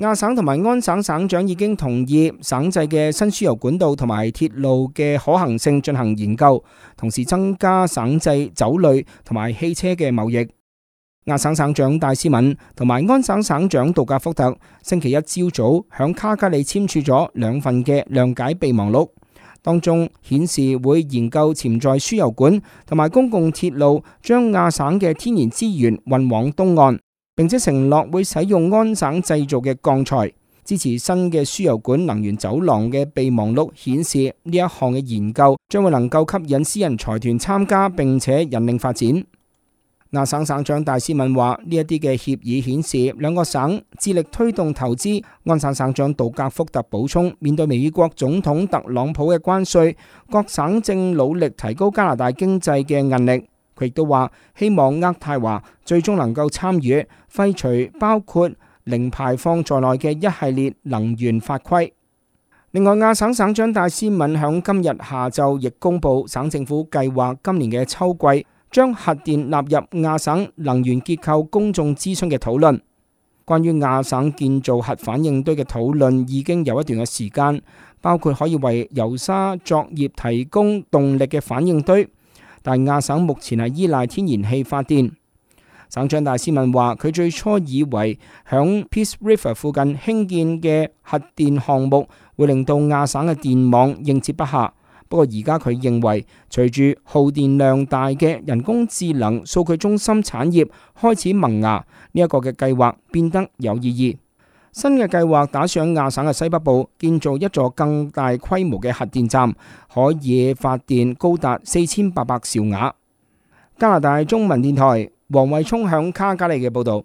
亞省同埋安省省長已經同意省制嘅新輸油管道同埋鐵路嘅可行性進行研究，同時增加省制酒類同埋汽車嘅貿易。亞省省長戴斯敏同埋安省省長杜格福特星期一朝早響卡加利簽署咗2份嘅諒解備忘錄，當中顯示會研究潛在輸油管同埋公共鐵路將亞省嘅天然資源運往東岸，並且承諾會使用安省製造嘅鋼材。支持新嘅輸油管能源走廊嘅備忘錄顯示，呢一項嘅研究將會能夠吸引私人財團參加，並且引領發展。亞省省長戴斯敏話：呢一啲嘅協議顯示兩個省致力推動投資。安省省長杜格福特補充，面對美國總統特朗普嘅關稅，各省正努力提高加拿大經濟嘅韌力。佢亦都話希望渥太華最終能夠參與廢除包括零排放在內嘅一系列能源法規。另外，亞省省長戴斯敏響今日下晝亦公布，省政府計劃今年嘅秋季將核電納入亞省能源結構公眾諮詢嘅討論。關於亞省建造核反應堆嘅討論已經有一段嘅時間，包括可以為油砂作業提供動力嘅反應堆，但亞省目前係依賴天然氣發電。省長戴斯敏話：佢最初以為響 Peace River 附近興建嘅核電項目會令到亞省嘅電網應接不暇。不過而家佢認為，隨住耗電量大嘅人工智能數據中心產業開始萌芽，呢一個嘅計劃變得有意義。新嘅計劃打算喺亞省嘅西北部建造一座更大規模嘅核電站，可以發電高達4800兆瓦。加拿大中文電台黃慧聰響卡加利嘅報導。